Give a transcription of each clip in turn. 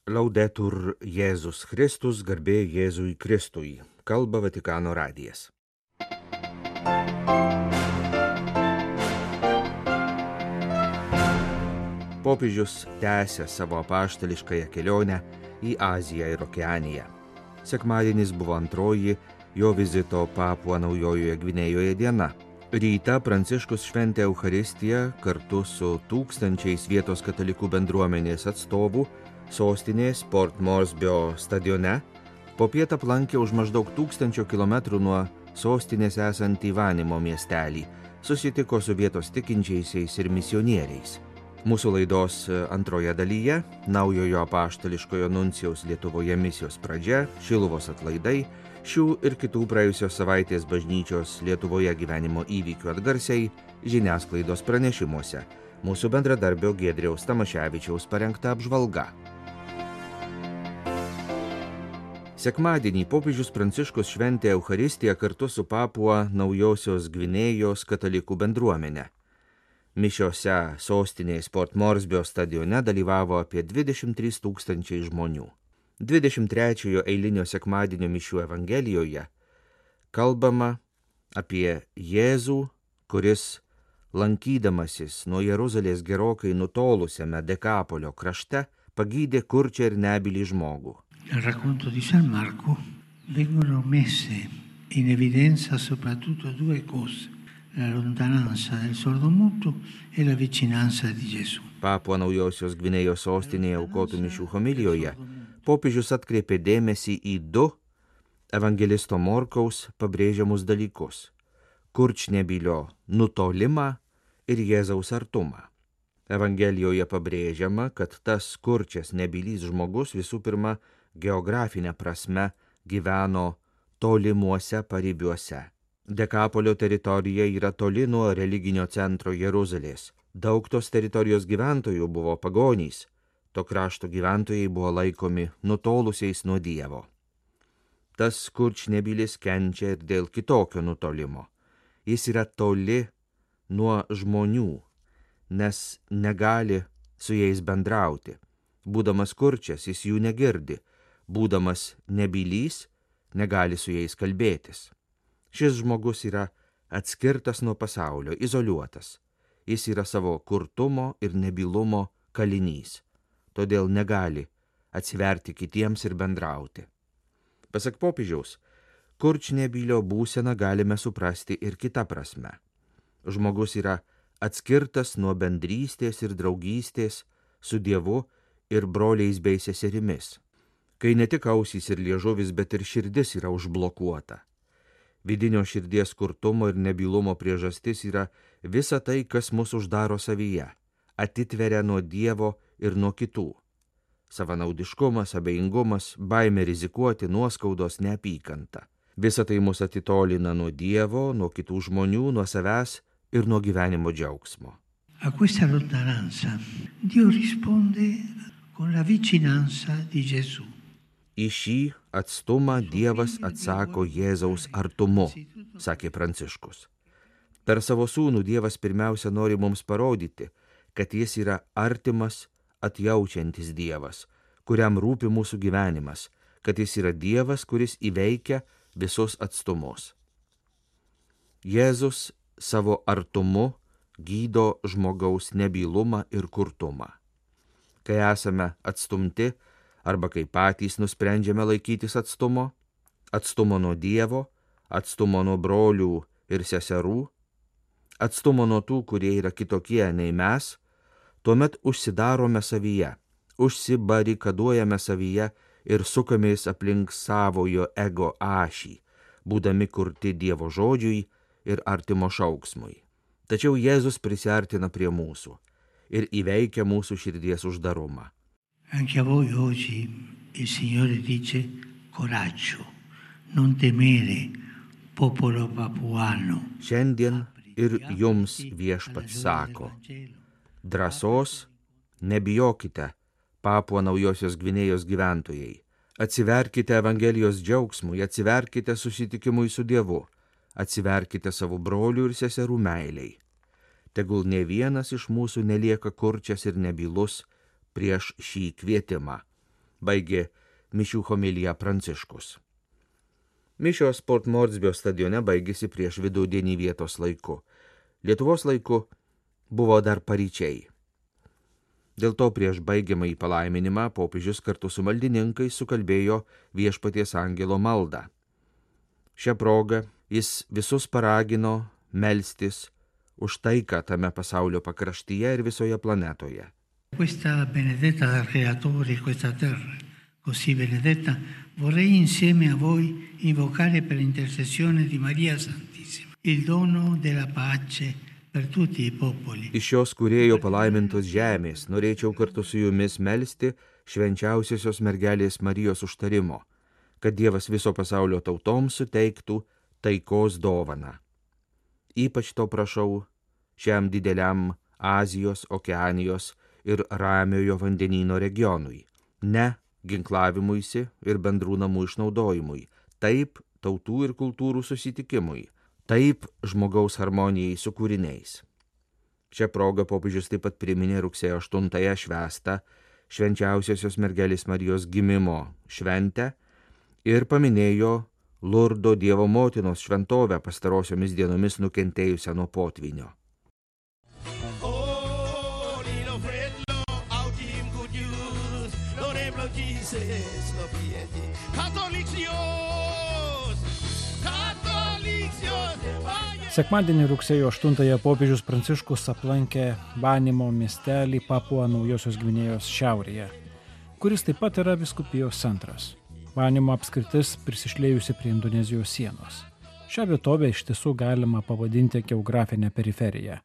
Laudetur Jėzus Kristus, garbė Jėzui Kristui, kalba Vatikano radijas. Popiežius tęsia savo apaštališkąją kelionę į Aziją ir Okeaniją. Sekmadienis buvo antroji jo vizito Papua Naujojoje Gvinėjoje diena. Rytą Pranciškus šventė Eucharistiją kartu su tūkstančiais vietos katalikų bendruomenės atstovų sostinės Port Moresby stadione, popiet aplankė už maždaug 1000 kilometrų nuo sostinės esantį Vanimo miestelį, susitiko su vietos tikinčiaisiais ir misionieriais. Mūsų laidos antroje dalyje naujojo apaštališkojo nuncijaus Lietuvoje misijos pradžia, Šiluvos atlaidai, šių ir kitų praėjusios savaitės bažnyčios Lietuvoje gyvenimo įvykių atgarsiai žiniasklaidos pranešimuose. Mūsų bendradarbio Giedriaus Tamaševičiaus parengta apžvalga. Sekmadienį popiežius Pranciškus šventė Eucharistiją kartu su Papua Naujosios Gvinėjos katalikų bendruomenė. Mišiose sostinės Port Moresby stadione dalyvavo apie 23 000 žmonių. 23 eilinio sekmadienio mišių evangelijoje kalbama apie Jėzų, kuris lankydamasis nuo Jeruzalės gerokai nutolusiame Dekapolio krašte pagydė kurčią ir nebylį žmogų. Nel racconto di San Marco vengono messe in evidenza soprattutto due cose: la lontananza del sordomuto e la vicinanza di Gesù. Papua Naujosios Gvinėjos sostinėje aukotų mišių homilijoje popiežius atkreipė dėmesį į du evangelisto Morkaus pabrėžiamus dalykus – kurčnebylio nutolimą ir Jėzaus artumą. Evangelijoje pabrėžiama, kad tas kurčias nebylys žmogus visų pirma geografinė prasme gyveno tolimuose paribiuose. Dekapolio teritorija yra toli nuo religinio centro Jeruzalės. Daug tos teritorijos gyventojų buvo pagonys. To krašto gyventojai buvo laikomi nutolusiais nuo Dievo. Tas kurčnebylis kenčia ir dėl kitokio nutolimo. Jis yra toli nuo žmonių, nes negali su jais bendrauti. Būdamas kurčias, jis jų negirdi. Būdamas nebylys, negali su jais kalbėtis. Šis žmogus yra atskirtas nuo pasaulio, izoliuotas. Jis yra savo kurtumo ir nebylumo kalinys. Todėl negali atsiverti kitiems ir bendrauti. Pasak popiežiaus, kurčnebylio būseną galime suprasti ir kita prasme. Žmogus yra atskirtas nuo bendrystės ir draugystės su Dievu ir broliais bei seserimis, kai ne tik ausys ir liežuvis, bet ir širdis yra užblokuota. Vidinio širdies kurtumo ir nebylumo priežastis yra visa tai, kas mus uždaro savyje, atitveria nuo Dievo ir nuo kitų. Savanaudiškumas, abejingumas, baimė rizikuoti, nuoskaudos, neapykanta. Visa tai mus atitolina nuo Dievo, nuo kitų žmonių, nuo savęs ir nuo gyvenimo džiaugsmo. A questa lontananza Dio risponde con la vicinanza di Gesù. Į šį atstumą Dievas atsako Jėzaus artumu, sakė Pranciškus. Per savo sūnų Dievas pirmiausia nori mums parodyti, kad jis yra artimas, atjaučiantis Dievas, kuriam rūpi mūsų gyvenimas, kad jis yra Dievas, kuris įveikia visus atstumus. Jėzus savo artumu gydo žmogaus nebylumą ir kurtumą. Kai esame atstumti, arba kai patys nusprendžiame laikytis atstumo nuo Dievo, atstumo nuo brolių ir seserų, atstumo nuo tų, kurie yra kitokie nei mes, tuomet užsidarome savyje, užsibarikaduojame savyje ir sukamės aplink savojo ego ašį, būdami kurti Dievo žodžiui ir artimo šauksmui. Tačiau Jėzus prisiartina prie mūsų ir įveikia mūsų širdies uždarumą. Anche a voi oggi il Signore dice coraggio, non temere, popolo papuano. Šiandien ir jums Viešpats sako, drąsos, nebijokite, Papua Naujosios Gvinėjos gyventojai, atsiverkite Evangelijos džiaugsmui, atsiverkite susitikimui su Dievu, atsiverkite savo brolių ir seserų meiliai. Tegul ne vienas iš mūsų nelieka kurčias ir nebylus prieš šį kvietimą. baigė mišių homiliją Pranciškus. Mišios Port Moresbio stadione baigėsi prieš vidudienį vietos laiku. Lietuvos laiku buvo dar paryčiai. Dėl to prieš baigiamąjį palaiminimą popiežius kartu su maldininkais sukalbėjo Viešpaties angelo maldą. Šią progą jis visus paragino melstis už taiką tame pasaulio pakraštyje ir visoje planetoje. Questa benedetta dal Creatore, questa terra così benedetta, vorrei insieme a voi invocare per intercessione di Maria Santissima il dono della pace per tutti i popoli. Iš šios kūrėjo palaimintos žemės norėčiau kartu su jumis melsti švenčiausiosios mergelės Marijos užtarimo, kad Dievas viso pasaulio tautoms suteiktų taikos dovaną. Ypač to prašau šiam dideliam Azijos, Okeanijos ir Ramiojo vandenyno regionui, ne ginklavimuisi ir bendrų namų išnaudojimui, taip tautų ir kultūrų susitikimui, taip žmogaus harmonijai su kūriniais. Šią progą popiežius taip pat priminė rugsėjo 8-ąją švęstą švenčiausiosios mergelės Marijos gimimo šventę ir paminėjo Lurdo Dievo motinos šventovę pastarosiomis dienomis nukentėjusią nuo potvynio. Sekmadienį rugsėjo 8-ąją popiežius Pranciškus aplankė Vanimo miestelį Papua Naujosios Gvinėjos šiaurėje, kuris taip pat yra vyskupijos centras. Vanimo apskritis prisišlėjusi prie Indonezijos sienos. Šią vietovę iš tiesų galima pavadinti geografinę periferiją.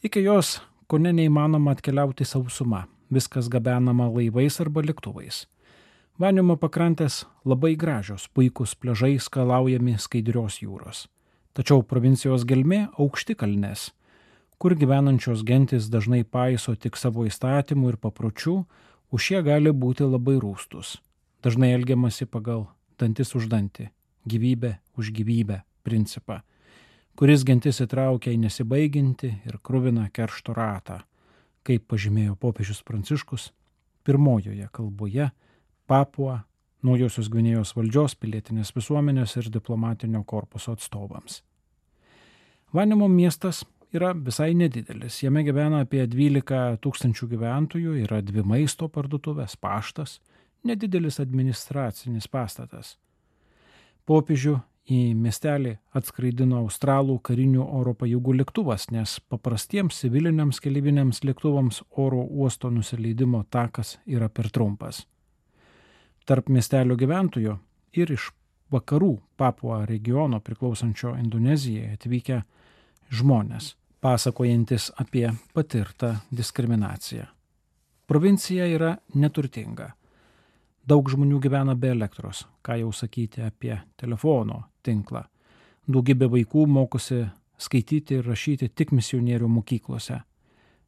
Iki jos kone neįmanoma atkeliauti sausuma, viskas gabenama laivais arba lėktuvais. Vanimo pakrantės labai gražios, puikūs pliažai skalaujami skaidrios jūros. Tačiau provincijos gelmė aukšti kalnės, kur gyvenančios gentis dažnai paiso tik savo įstatymų ir papročių, už šie gali būti labai rūstus. Dažnai elgiamasi pagal dantis už dantį, gyvybę už gyvybę principą, kuris gentis įtraukia į nesibaiginti ir kruviną keršto ratą, kaip pažymėjo popiežius Pranciškus pirmojoje kalboje Papua Naujosios Gvinėjos valdžios, pilietinės visuomenės ir diplomatinio korpuso atstovams. Vanimo miestas yra visai nedidelis, jame gyvena apie 12 000 gyventojų, yra 2 maisto parduotuvės, paštas, nedidelis administracinis pastatas. Popiežių į miestelį atskraidino Australų karinių oro pajėgų lėktuvas, nes paprastiems civiliniams keleiviniams lėktuvams oro uosto nusileidimo takas yra per trumpas. Tarp miestelio gyventojų ir iš vakarų Papua regiono priklausančio Indonezijai atvykę žmonės, pasakojantis apie patirtą diskriminaciją. Provincija yra neturtinga. Daug žmonių gyvena be elektros, ką jau sakyti apie telefono tinklą. Daugybė vaikų mokosi skaityti ir rašyti tik misionierių mokyklose.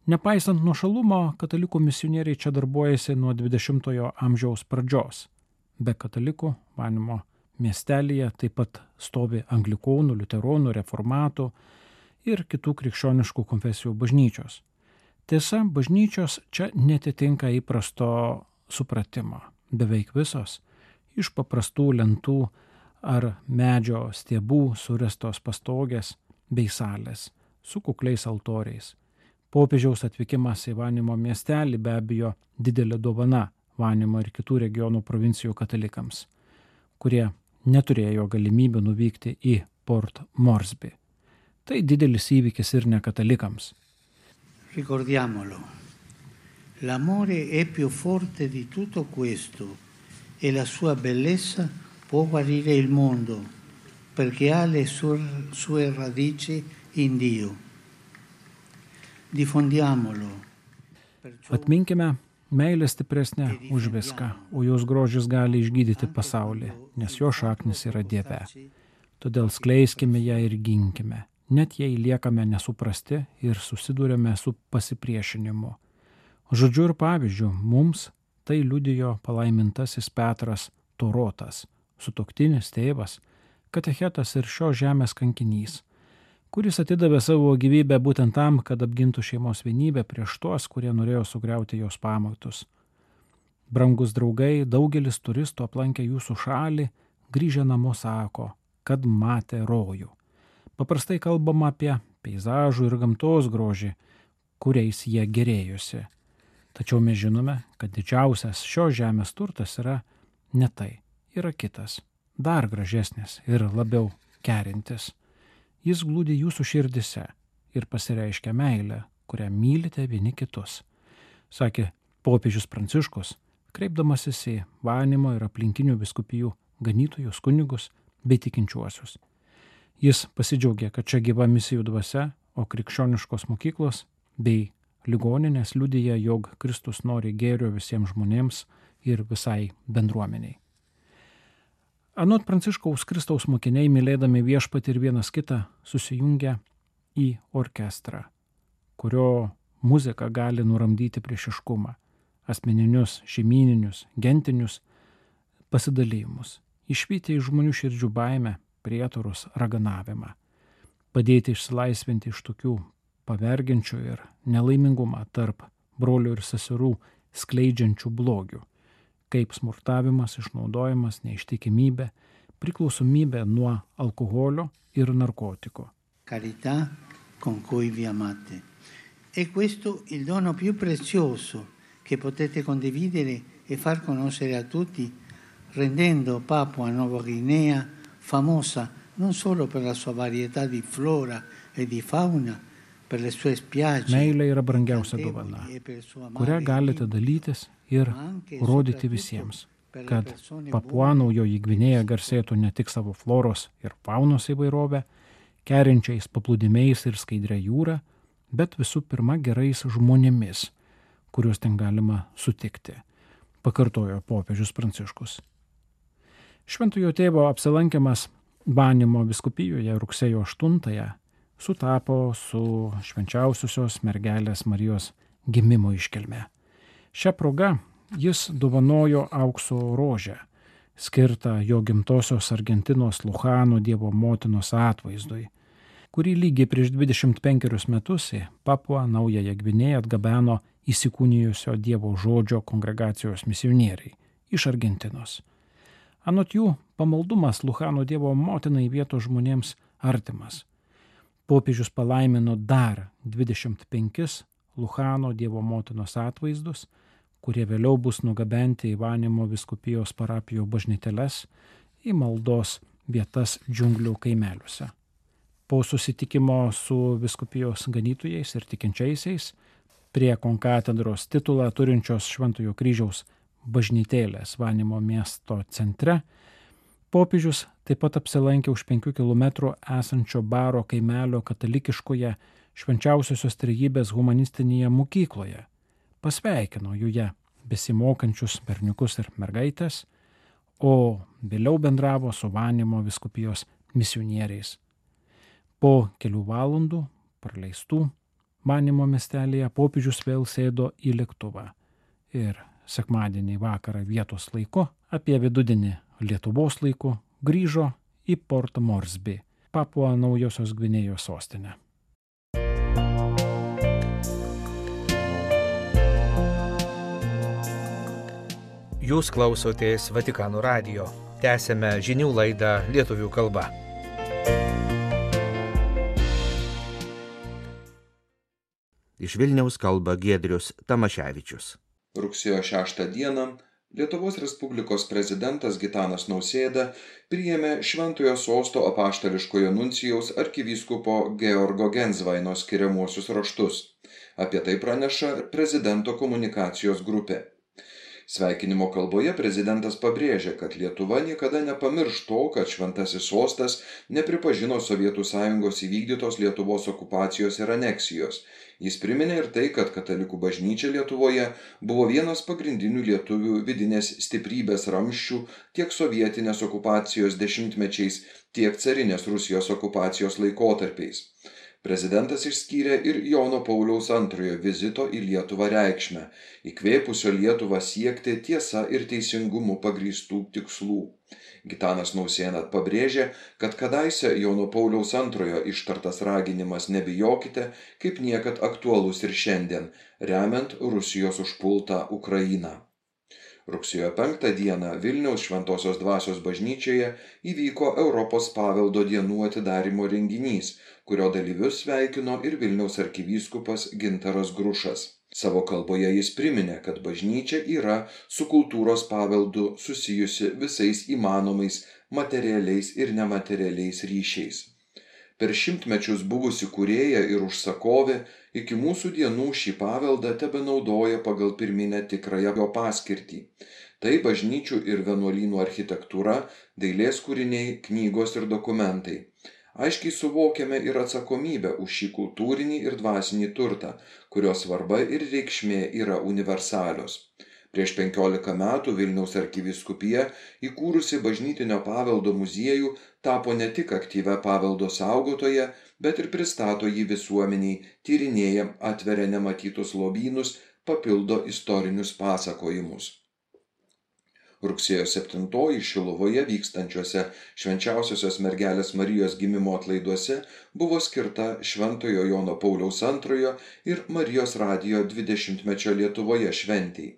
Nepaisant nuošalumo, katalikų misionieriai čia darbuojasi nuo 20-ojo amžiaus pradžios. Be katalikų Vanimo miestelyje taip pat stovi anglikonų, liuteronų, reformatų ir kitų krikščioniškų konfesijų bažnyčios. Tiesa, bažnyčios čia netitinka įprasto supratimo. Beveik visos iš paprastų lentų ar medžio stiebų surestos pastogės bei salės su kukliais altoriais. Popiežiaus atvykimas į Vanimo miestelį be abejo didelė dovana Vanimo ir kitų regionų provincijų katalikams, kurie neturėjo galimybių nuvykti į Port Moresby. Tai didelis įvykis ir ne katalikams. Ricordiamolo, l'amore è più forte di tutto questo e la sua bellezza può guarire il mondo perché ha le sue radici in Dio. Diffondiamolo. Atminkime, meilė stipresnė už viską, o jos grožis gali išgydyti pasaulį, nes jo šaknis yra Dieve. Todėl skleiskime ją ir ginkime, net jei liekame nesuprasti ir susidūrėme su pasipriešinimu. Žodžiu ir pavyzdžiu, mums tai liudijo palaimintasis Petras Torotas, sutuoktinis tėvas, katechetas ir šios žemės kankinys, kuris atidavė savo gyvybę būtent tam, kad apgintų šeimos vienybę prieš tuos, kurie norėjo sugriauti jos pamatus. Brangus draugai, daugelis turistų aplankę jūsų šalį, grįžę namo sako, kad matė rojų. Paprastai kalbama apie peizažų ir gamtos grožį, kuriais jie gerėjosi. Tačiau mes žinome, kad didžiausias šios žemės turtas yra ne tai, yra kitas, dar gražesnis ir labiau kerintis. Jis glūdi jūsų širdise ir pasireiškia meilę, kurią mylite vieni kitus, sakė popiežius Pranciškus, kreipdamasis į Vanimo ir aplinkinių vyskupijų ganytojus, kunigus bei tikinčiuosius. Jis pasidžiaugė, kad čia gyva misijų dvasia, o krikščioniškos mokyklos bei ligoninės liudija, jog Kristus nori gėrio visiems žmonėms ir visai bendruomeniai. Anot Pranciškaus Kristaus mokiniai, mylėdami viešpatį ir vienas kitą, susijungia į orkestrą, kurio muzika gali nuramdyti priešiškumą, asmeninius, šeimyninius, gentinius pasidalymus, išvyti iš žmonių širdžių baimę, prietarus, raganavimą, padėti išsilaisvinti iš tokių pavergiančių ir nelaimingumą tarp brolių ir seserų skleidžiančių blogių, kaip smurtavimas, išnaudojimas, neištikimybė, priklausomybė nuo alkoholio ir narkotikų. Carità con cui vi amate. È questo il dono più prezioso che potete condividere e far conoscere a tutti, rendendo Papua Nuova Guinea famosa non solo per la sua varietà di flora e di fauna, per le sue spiagge. Meilė yra brangiausia dovana, kurią galite dalytis ir rodyti visiems, kad Papua Naujoji Gvinėja garsėtų ne tik savo floros ir faunos įvairovę, kerinčiais paplūdimiais ir skaidrę jūrą, bet visų pirma gerais žmonėmis, kuriuos ten galima sutikti, pakartojo popiežius Pranciškus. Šventojo tėvo apsilankimas Vanimo vyskupijoje rugsėjo 8-ąją sutapo su švenčiausiosios mergelės Marijos gimimo iškilme. Šią progą jis dovanojo aukso rožę, skirtą jo gimtosios Argentinos Luchano Dievo motinos atvaizdui, kurį lygiai prieš 25 metus į Papuą Naująją Gvinėją atgabeno įsikūnijusio Dievo žodžio kongregacijos misionieriai iš Argentinos. Anot jų, pamaldumas Luchano Dievo motinai vietos žmonėms artimas. Popiežius palaimino dar 25 Luchano Dievo motinos atvaizdus, kurie vėliau bus nugabenti į Vanimo vyskupijos parapijų bažnyteles, į maldos vietas džiunglių kaimeliuose. Po susitikimo su vyskupijos ganytojais ir tikinčiaisiais, prie konkatedros titulą turinčios Šventojo kryžiaus bažnytėlės Vanimo miesto centre, popiežius taip pat apsilankė už 5 km esančio Baro kaimelio katalikiškoje Švenčiausiosios Trejybės humanistinėje mokykloje, pasveikino joje besimokančius berniukus ir mergaitės, o vėliau bendravo su Vanimo vyskupijos misionieriais. Po kelių valandų praleistų Vanimo miestelėje popiežius vėl sėdo į lėktuvą ir sekmadienį vakarą vietos laiku, apie vidudienį Lietuvos laiku, grįžo į Port Moresby, Papua Naujosios Gvinėjos sostinę. Jūs klausotės Vatikano radijo. Tęsėme žinių laidą lietuvių kalba. Iš Vilniaus kalba Giedrius Tamaševičius. Rugsėjo 6 dieną Lietuvos Respublikos prezidentas Gitanas Nausėda priėmė Šventojo sosto apaštališkojo nuncijaus arkivyskupo Georgo Gensvaino skiriamuosius raštus. Apie tai praneša prezidento komunikacijos grupė. Sveikinimo kalboje prezidentas pabrėžė, kad Lietuva niekada nepamirš to, kad Šventasis sostas nepripažino Sovietų Sąjungos įvykdytos Lietuvos okupacijos ir aneksijos. Jis priminė ir tai, kad katalikų bažnyčia Lietuvoje buvo vienas pagrindinių lietuvių vidinės stiprybės ramsčių tiek sovietinės okupacijos dešimtmečiais, tiek carinės Rusijos okupacijos laikotarpiais. Prezidentas išskyrė ir Jono Pauliaus II vizito į Lietuvą reikšmę, įkvėpusio Lietuvą siekti tiesa ir teisingumu pagrįstų tikslų. Gitanas Nausėda pabrėžė, kad kadaise Jono Pauliaus II ištartas raginimas nebijokite, kaip niekad aktualus ir šiandien, remiant Rusijos užpultą Ukrainą. Rugsėjo 5 dieną Vilniaus Šventosios Dvasios bažnyčioje įvyko Europos paveldo dienų atidarymo renginys, kurio dalyvius sveikino ir Vilniaus arkivyskupas Gintaras Grušas. Savo kalboje jis priminė, kad bažnyčia yra su kultūros paveldu susijusi visais įmanomais materialiais ir nematerialiais ryšiais. Per šimtmečius buvusi kūrėja ir užsakovė iki mūsų dienų šį paveldą tebenaudoja pagal pirminę tikrąją jo paskirtį. Tai bažnyčių ir vienuolynų architektūra, dailės kūriniai, knygos ir dokumentai. Aiškiai suvokiame ir atsakomybę už šį kultūrinį ir dvasinį turtą, kurio svarba ir reikšmė yra universalios. Prieš 15 metų Vilniaus arkivyskupija, įkūrusi bažnytinio paveldo muziejų, tapo ne tik aktyvia paveldo saugotoja, bet ir pristato jį visuomeniai, tyrinėja, atveria nematytus lobynus, papildo istorinius pasakojimus. Rugsėjo 7 Šiluvoje vykstančiuose Švenčiausiosios Mergelės Marijos gimimo atlaiduose buvo skirta Šventojo Jono Pauliaus II ir Marijos radijo 20-mečio Lietuvoje šventei.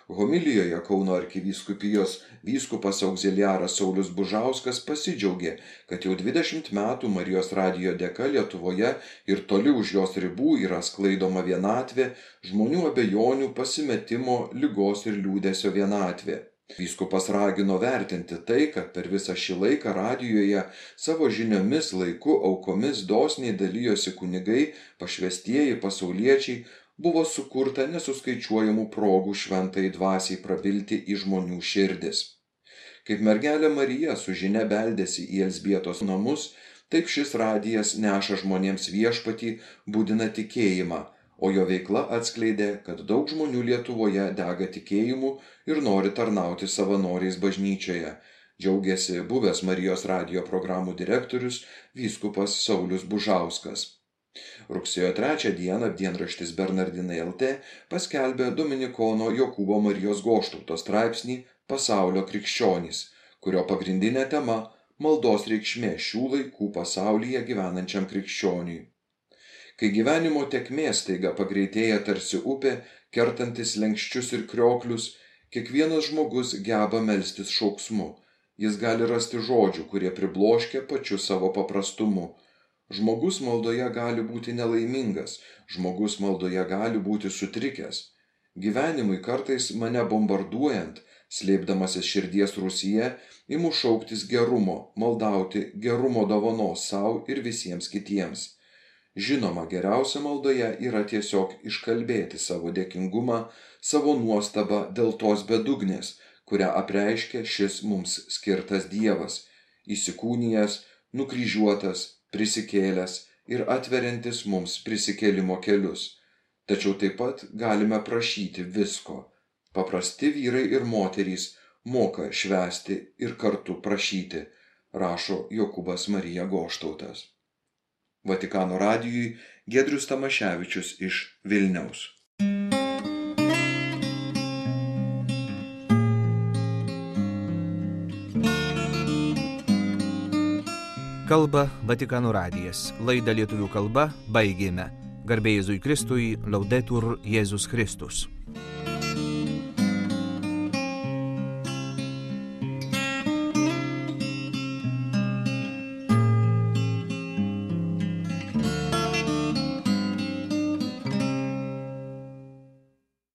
Homilijoje Kauno arkivyskupijos vyskupas auxiliaras Saulius Bužauskas pasidžiaugė, kad jau 20 metų Marijos radijo dėka Lietuvoje ir toli už jos ribų yra sklaidoma vienatvė, žmonių abejonių, pasimetimo, ligos ir liūdesio vienatvė. Vyskupas ragino vertinti tai, kad per visą šį laiką radijoje savo žiniomis, laiku, aukomis dosniai dalijosi kunigai, pašvestieji, pasauliečiai, buvo sukurta nesuskaičiuojamų progų šventai dvasiai prabilti į žmonių širdis. Kaip mergelė Marija su žinia beldėsi į Elzbietos namus, taip šis radijas neša žmonėms viešpatį, budina tikėjimą, o jo veikla atskleidė, kad daug žmonių Lietuvoje dega tikėjimu ir nori tarnauti savanoriais bažnyčioje, džiaugiasi buvęs Marijos radijo programų direktorius vyskupas Saulius Bužauskas. Rugsėjo 3 dieną dienraštis Bernardinai LT paskelbė dominikono Jokūbo Marijos Goštauto straipsnį Pasaulio krikščionys, kurio pagrindinė tema – maldos reikšmė šių laikų pasaulyje gyvenančiam krikščioniui. Kai gyvenimo tėkmė staiga pagreitėja tarsi upė, kertantis lenkščius ir krioklius, kiekvienas žmogus geba melstis šauksmu. Jis gali rasti žodžių, kurie pribloškia pačiu savo paprastumu. Žmogus maldoje gali būti nelaimingas, žmogus maldoje gali būti sutrikęs. Gyvenimui kartais mane bombarduojant, slėpdamasis širdies rūsyje, imu šauktis gerumo, maldauti gerumo dovanos sau ir visiems kitiems. Žinoma, geriausia maldoje yra tiesiog iškalbėti savo dėkingumą, savo nuostabą dėl tos bedugnės, kurią apreiškia šis mums skirtas Dievas, įsikūnijęs, nukryžiuotas, prisikėlęs ir atveriantis mums prisikėlimo kelius. Tačiau taip pat galime prašyti visko. Paprasti vyrai ir moterys moka švęsti ir kartu prašyti, rašo Jokūbas Marija Goštautas. Vatikano radijui Giedrius Tamaševičius iš Vilniaus. Kalba Vatikano radijas. Laidą lietuvių kalba baigėme. Garbė Jėzui Kristui, Laudetur Jėzus Kristus.